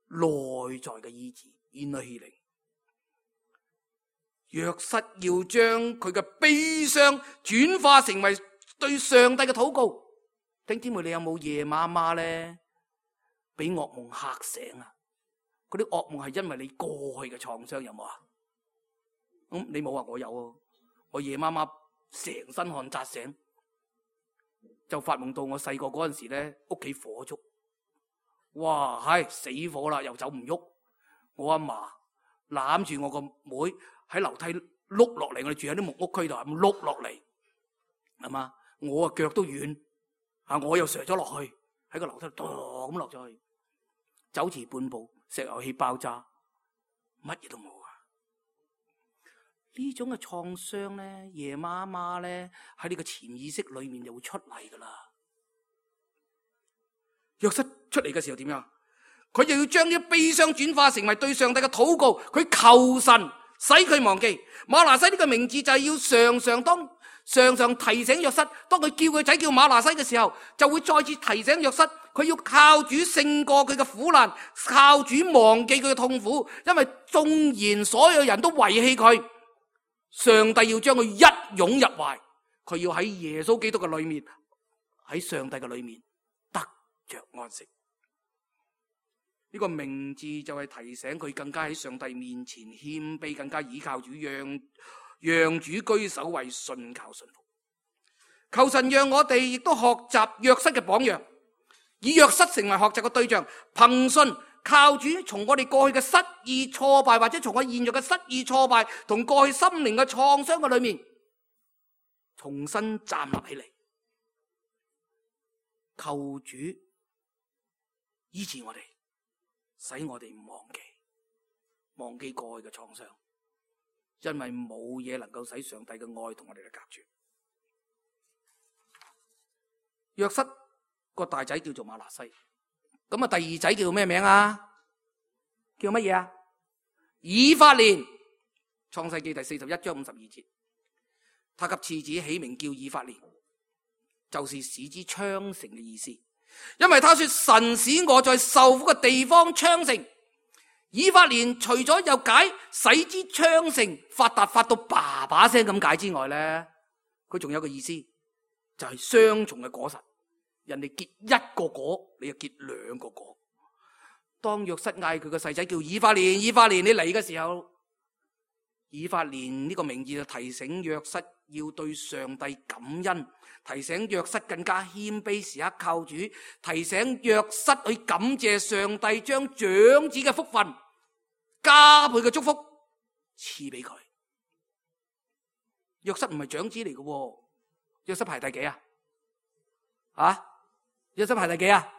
內在嘅醫治 inner healing。約瑟要將佢嘅悲傷轉化成為對上帝嘅禱告。弟兄姊妹，你有冇夜媽媽咧俾噩夢嚇醒啊？嗰啲噩夢係因為你過去嘅創傷，有冇啊？咁你冇啊？我有啊！我夜媽媽成身汗扎醒，就發夢到我細個嗰陣時咧，屋企火燭，哇，係死火啦，又走唔喐。我阿嫲攬住我個妹喺樓梯碌落嚟，我哋住喺啲木屋區度，咁碌落嚟，係嘛？我啊腳都軟，啊我又瀡咗落去，喺個樓梯度咁落咗去，走遲半步，石油氣爆炸，乜嘢都冇。呢種嘅創傷咧，夜媽媽咧喺呢個潛意識裏面就會出嚟噶啦。約瑟出嚟嘅時候點樣？佢就要將啲悲傷轉化成為對上帝嘅禱告，佢求神使佢忘記。馬拿西呢個名字就係要常常當常常提醒約瑟，當佢叫佢仔叫馬拿西嘅時候，就會再次提醒約瑟，佢要靠主勝過佢嘅苦難，靠主忘記佢嘅痛苦，因為縱然所有人都遺棄佢，上帝要將佢一擁入懷，佢要喺耶穌基督嘅裏面，喺上帝嘅裏面得着安息。呢個名字就係提醒佢更加喺上帝面前謙卑，更加倚靠主，讓讓主居首位，信靠信服。求神讓我哋亦都學習約瑟嘅榜樣，以約瑟成為學習嘅對象，憑信靠主，從我哋過去嘅失意挫敗，或者從我現在嘅失意挫敗同過去心靈嘅創傷嘅裏面，重新站立起嚟，求主醫治我哋，使我哋唔忘記忘記過去嘅創傷，因為冇嘢能夠使上帝嘅愛同我哋嚟隔絕。約瑟個大仔叫做馬拿西。咁啊，第二仔叫咩名啊？叫乜嘢啊？以法蓮。創世記第四十一章五十二節，他給次子起名叫以法蓮，就是使之昌盛嘅意思。因為他說，神使我在受苦嘅地方昌盛。以法蓮除咗有解使之昌盛、發達發到爸爸聲咁解之外咧，佢仲有個意思，就係雙重嘅果實。人哋結一個果，你就結兩個果。當約瑟嗌佢個細仔叫以法蓮，以法蓮你嚟嘅時候，以法蓮呢個名字就提醒約瑟要對上帝感恩，提醒約瑟更加謙卑，時刻靠主，提醒約瑟去感謝上帝將長子嘅福分加倍嘅祝福賜俾佢。約瑟唔係長子嚟嘅，約瑟排第幾啊？啊？約瑟排第幾啊？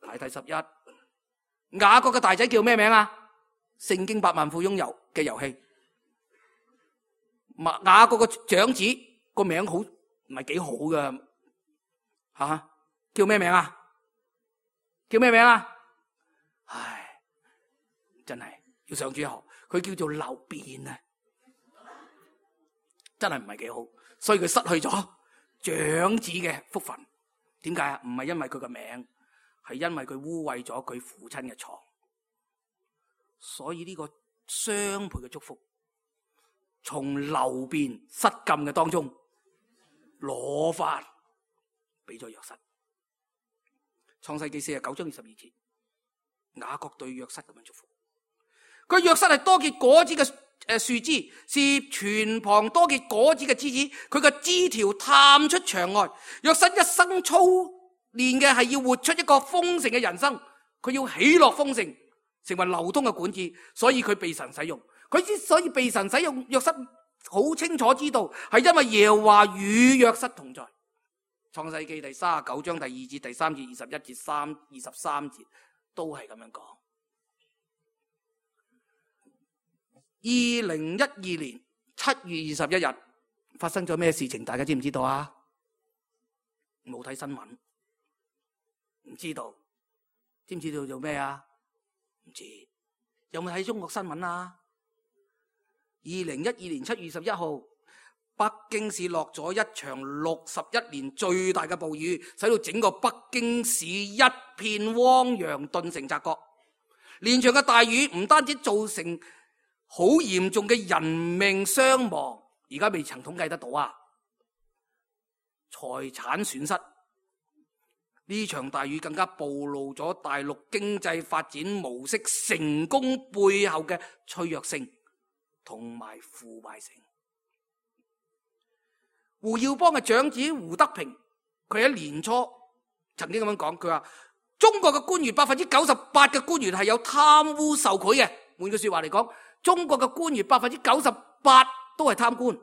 排第十一。雅各嘅大仔叫咩名啊？聖經百萬富翁遊嘅遊戲。雅各嘅長子個名好唔係幾好㗎吓？叫咩名啊？叫咩名啊？唉，真係要上主學，佢叫做流便啊，真係唔係幾好，所以佢失去咗長子嘅福分。點解啊？唔係因為佢個名，係因為佢污穢咗佢父親嘅床。所以呢個雙倍嘅祝福，從流便失禁嘅當中攞翻俾咗約瑟。創世記四十九章二十二節，雅各對約瑟咁樣祝福。佢約瑟係多結果子嘅誒樹枝，是泉旁多結果子嘅枝子。佢嘅枝條探出牆外。約瑟一生操練嘅係要活出一個豐盛嘅人生，佢要喜樂豐盛，成為流通嘅管子，所以佢被神使用。佢之所以被神使用，約瑟好清楚知道係因為耶和華與約瑟同在。創世記第三十九章第二節、第三節、二十一節、三二十三節都係咁樣講。二零一二年七月二十一日發生咗咩事情？大家知唔知道啊？冇睇新聞，唔知道。知唔知道做咩啊？唔知。有冇睇中國新聞啊？二零一二年七月二十一號，北京市落咗一場六十一年最大嘅暴雨，使到整個北京市一片汪洋，頓成澤國。連場嘅大雨唔單止造成好嚴重嘅人命傷亡，而家未曾統計得到啊！財產損失，呢場大雨更加暴露咗大陸經濟發展模式成功背後嘅脆弱性同埋腐敗性。胡耀邦嘅長子胡德平，佢喺年初曾經咁樣講，佢話中國嘅官員百分之九十八嘅官員係有貪污受賄嘅。換句說話嚟講，中國嘅官員百分之九十八都係貪官。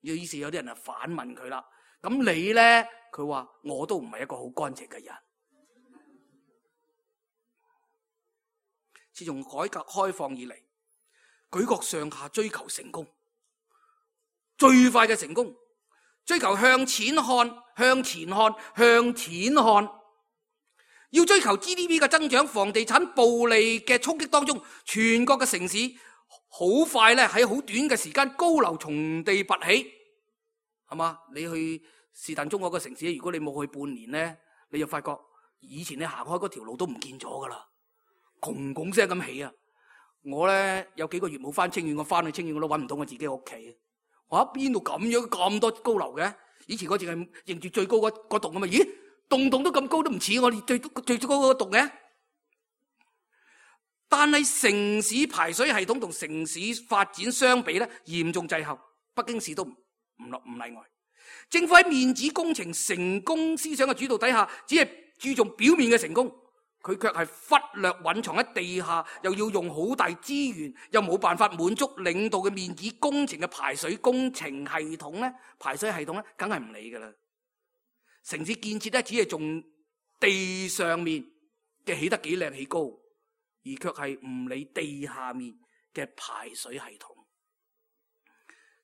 於是有啲人啊反問佢啦，咁你呢？佢話我都唔係一個好乾淨嘅人。自從改革開放以嚟，舉國上下追求成功，最快嘅成功，追求向錢看，向前看，向錢看。要追求 G D P 嘅增長，房地產暴利嘅衝擊當中，全國嘅城市好快咧喺好短嘅時間高樓從地拔起，係嘛？你去是但中國嘅城市，如果你冇去半年咧，你就發覺以前你行開嗰條路都唔見咗噶啦，轟轟聲咁起啊！我咧有幾個月冇翻清遠，我翻去清遠我都揾唔到我自己屋企。我喺邊度咁樣咁多高樓嘅？以前我淨係認住最高嗰嗰棟咁啊！咦，棟棟都咁高，都唔似我哋最最高嗰棟嘅。但係城市排水系統同城市發展相比咧，嚴重滯後。北京市都唔唔落唔例外。政府喺面子工程成功思想嘅主導底下，只係注重表面嘅成功，佢卻係忽略蘊藏喺地下，又要用好大資源，又冇辦法滿足領導嘅面子工程嘅排水工程系統咧，排水系統咧，梗係唔理噶啦。城市建設咧，只係重地上面嘅起得幾靚起高，而卻係唔理地下面嘅排水系統。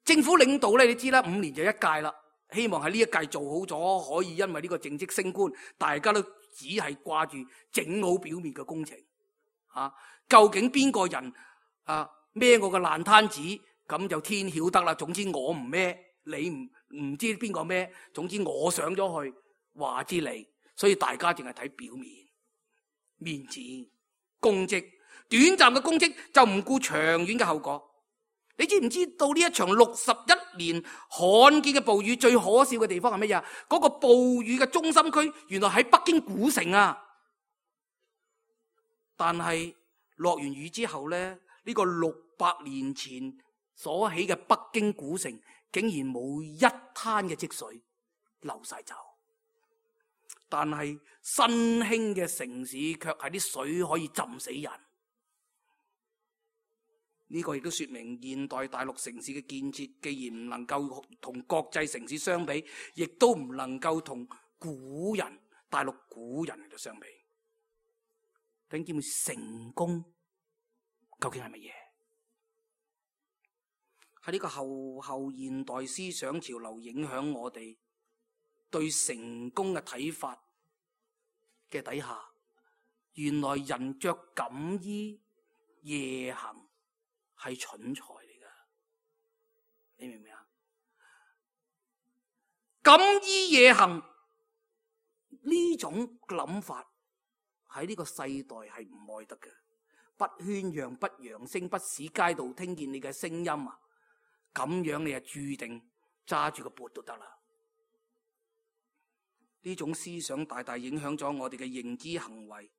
政府領導咧，你知啦，五年就一屆啦。希望喺呢一屆做好咗，可以因為呢個政績升官，大家都只係掛住整好表面嘅工程。啊，究竟邊個人啊孭我個爛攤子，咁就天曉得啦。總之我唔孭，你唔唔知邊個孭。總之我上咗去，話之你，所以大家淨係睇表面、面子、功績，短暫嘅功績就唔顧長遠嘅後果。你知唔知道呢一場六十一年罕見嘅暴雨最可笑嘅地方係乜嘢？嗰個暴雨嘅中心區原來喺北京古城啊！但係落完雨之後咧，呢個六百年前所起嘅北京古城竟然冇一灘嘅積水流晒走。但係新興嘅城市卻係啲水可以浸死人。呢個亦都說明現代大陸城市嘅建設，既然唔能夠同國際城市相比，亦都唔能夠同古人大陸古人嚟到相比。弟兄姊妹，成功究竟係乜嘢？喺呢個後後現代思想潮流影響我哋對成功嘅睇法嘅底下，原來人着錦衣夜行係蠢材嚟噶，你明唔明啊？錦衣夜行呢種諗法喺呢個世代係唔愛得嘅，不喧嚷，不揚聲，不使街道聽見你嘅聲音啊！咁樣你係注定揸住個缽都得啦。呢種思想大大影響咗我哋嘅認知行為。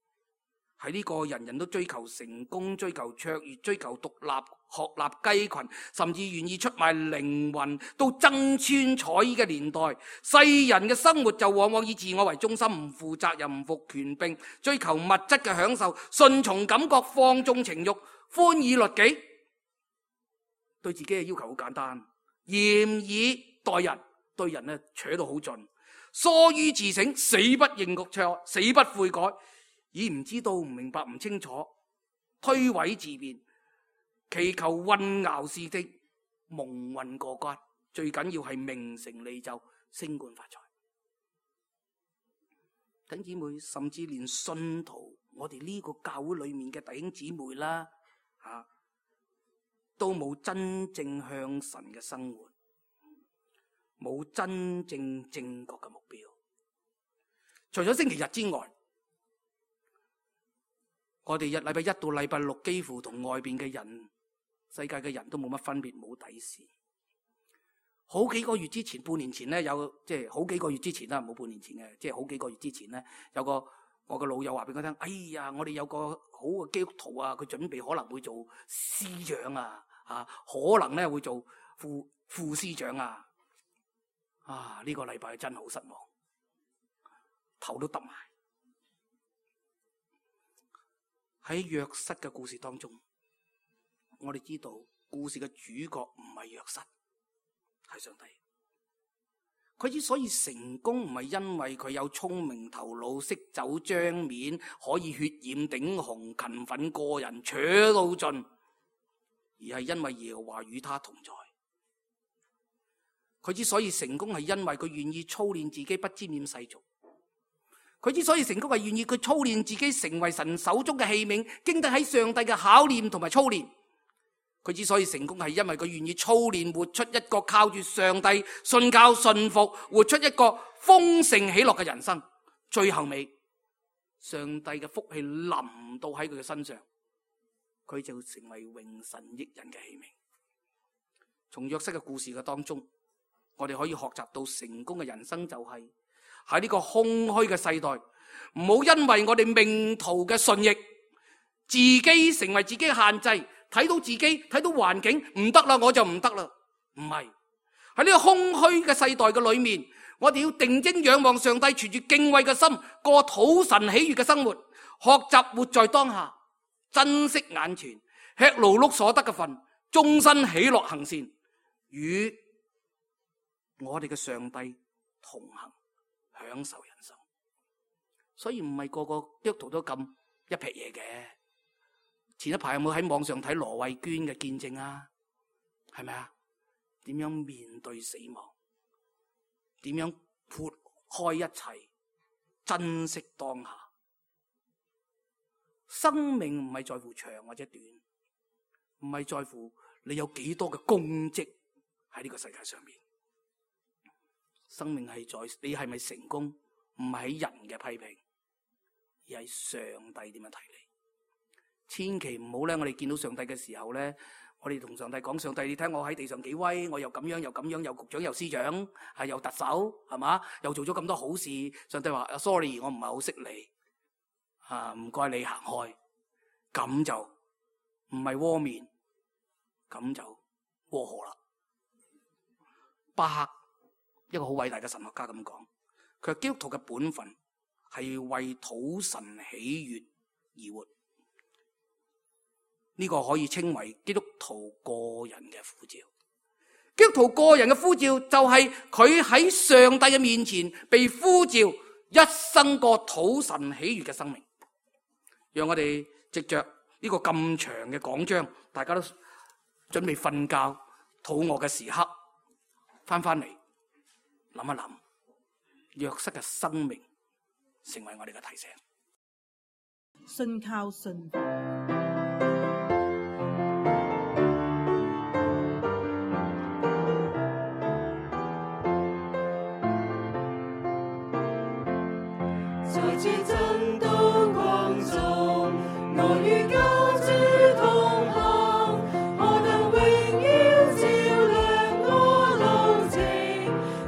喺呢個人人都追求成功、追求卓越、追求獨立、學立雞群，甚至願意出賣靈魂都爭穿彩衣嘅年代，世人嘅生活就往往以自我為中心，唔負責任、唔服權柄，追求物質嘅享受，順從感覺，放縱情慾，寬以律己，對自己嘅要求好簡單，嚴以待人，對人咧扯到好盡，疏於自省，死不認錯，死不悔改。已唔知道、唔明白、唔清楚，推諉自辯，祈求混淆視聽，蒙混過關，最緊要係名成利就、升官發財。弟兄姊妹，甚至連信徒，我哋呢個教會裏面嘅弟兄姊妹啦，吓都冇真正向神嘅生活，冇真正正確嘅目標。除咗星期日之外，我哋日禮拜一到禮拜六幾乎同外邊嘅人、世界嘅人都冇乜分別，冇底線。好幾個月之前，半年前咧，有即係好幾個月之前啦，冇半年前嘅，即係好幾個月之前咧，有個我個老友話俾我聽，哎呀，我哋有個好嘅基督徒啊，佢準備可能會做司長啊，啊，可能咧會做副副司長啊，啊，呢個禮拜真係好失望，頭都揼埋。喺約瑟嘅故事當中，我哋知道故事嘅主角唔係約瑟，係上帝。佢之所以成功，唔係因為佢有聰明頭腦、識走張面、可以血染頂紅、勤奮過人、扯到盡，而係因為耶和華與他同在。佢之所以成功，係因為佢願意操練自己，不沾染世俗。佢之所以成功，係願意佢操練自己成為神手中嘅器皿，經得喺上帝嘅考驗同埋操練。佢之所以成功，係因為佢願意操練活出一個靠住上帝信靠信服，活出一個豐盛喜樂嘅人生。最後尾，上帝嘅福氣臨到喺佢嘅身上，佢就成為榮神益人嘅器皿。從約瑟嘅故事嘅當中，我哋可以學習到成功嘅人生就係喺呢個空虛嘅世代，唔好因為我哋命途嘅順逆，自己成為自己嘅限制。睇到自己，睇到環境唔得啦，我就唔得啦。唔係，喺呢個空虛嘅世代嘅裏面，我哋要定睛仰望上帝，存住敬畏嘅心，過討神喜悅嘅生活，學習活在當下，珍惜眼前，吃勞碌所得嘅份，終身喜樂行善，與我哋嘅上帝同行，享受人生。所以唔係個個基督徒都咁一撇嘢嘅。前一排有冇喺網上睇羅慧娟嘅見證啊？係咪啊？點樣面對死亡？點樣撥開一切？珍惜當下。生命唔係在乎長或者短，唔係在乎你有幾多嘅功績喺呢個世界上面。生命係在你係咪成功，唔係喺人嘅批評，而係上帝點樣睇你。千祈唔好咧！我哋見到上帝嘅時候咧，我哋同上帝講：上帝，你睇我喺地上幾威，我又咁樣又咁樣，又局長又司長，係又特首，係嘛？又做咗咁多好事。上帝話：sorry，我唔係好識你，啊，唔該你行開。咁就唔係窩面，咁就窩河啦。巴克一個好偉大嘅神學家咁講，佢話基督徒嘅本分係為討神喜悅而活。呢個可以稱為基督徒個人嘅呼召。基督徒個人嘅呼召就係佢喺上帝嘅面前被呼召，一生過討神喜悅嘅生命。讓我哋藉着呢個咁長嘅講章，大家都準備瞓覺、肚餓嘅時刻，翻翻嚟諗一諗，約瑟嘅生命成為我哋嘅提醒。信靠信服。在這真道光中，我與救主同行，何等榮耀照亮我路程。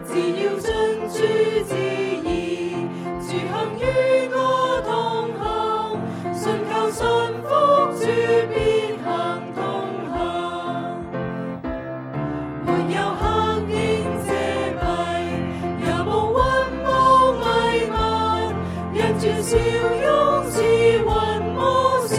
只要遵主旨意，主行與我同行，信靠信服主必行同行。沒有黑影遮蔽，也無雲霧迷漫。人住笑容似雲霧笑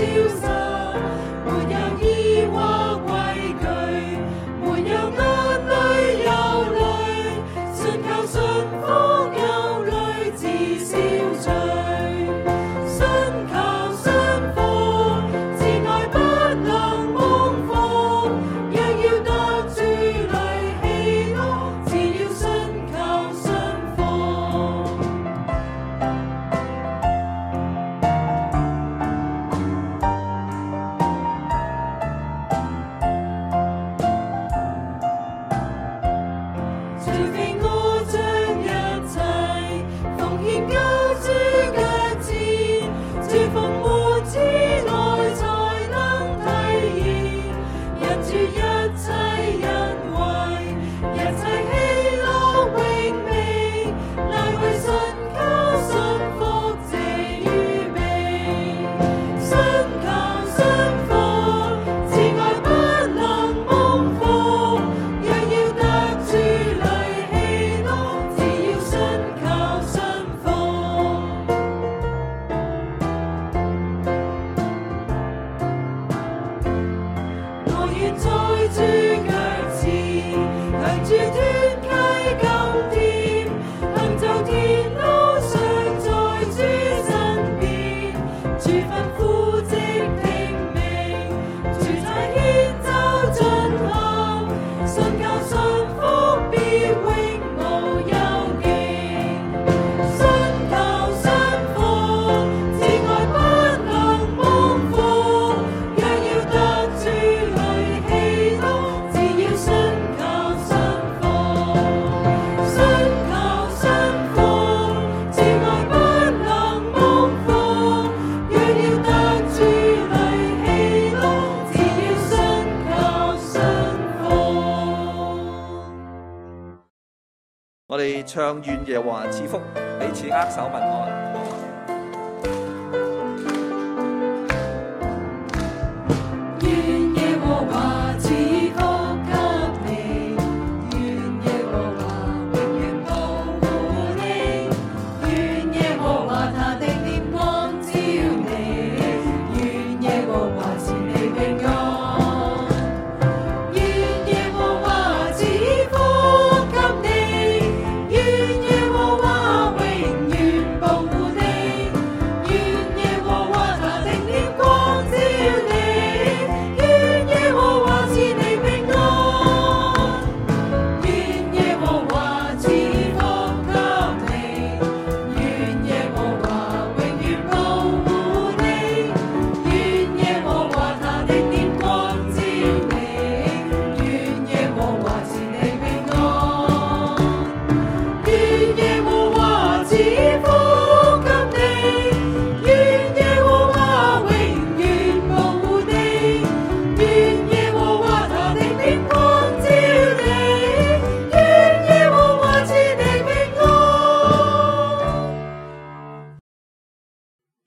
我哋唱願耶和華賜福，彼此握手問安。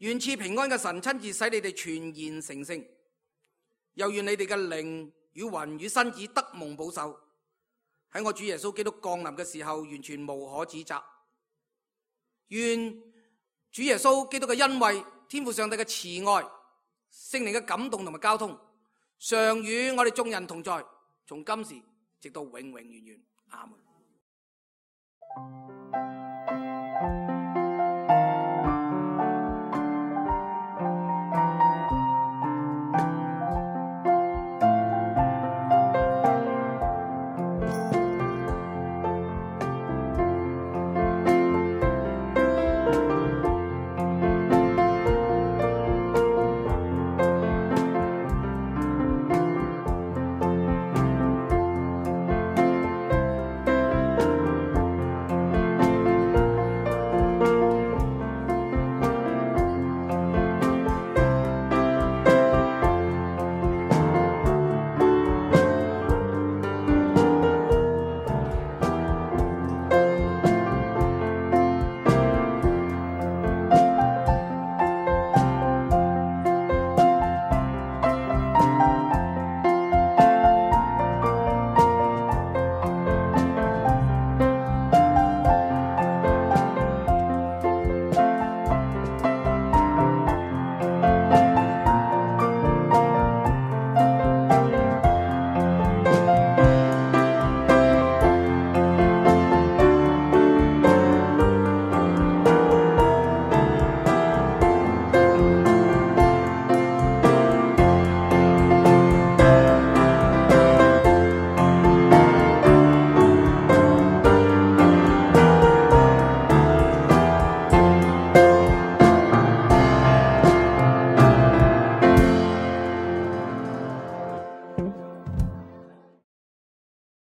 願賜平安嘅神親自使你哋全然成聖，又願你哋嘅靈與魂與身子得蒙保守，喺我主耶穌基督降臨嘅時候完全無可指責。願主耶穌基督嘅恩惠、天父上帝嘅慈愛、聖靈嘅感動同埋交通，常與我哋眾人同在，從今時直到永永遠遠。阿門。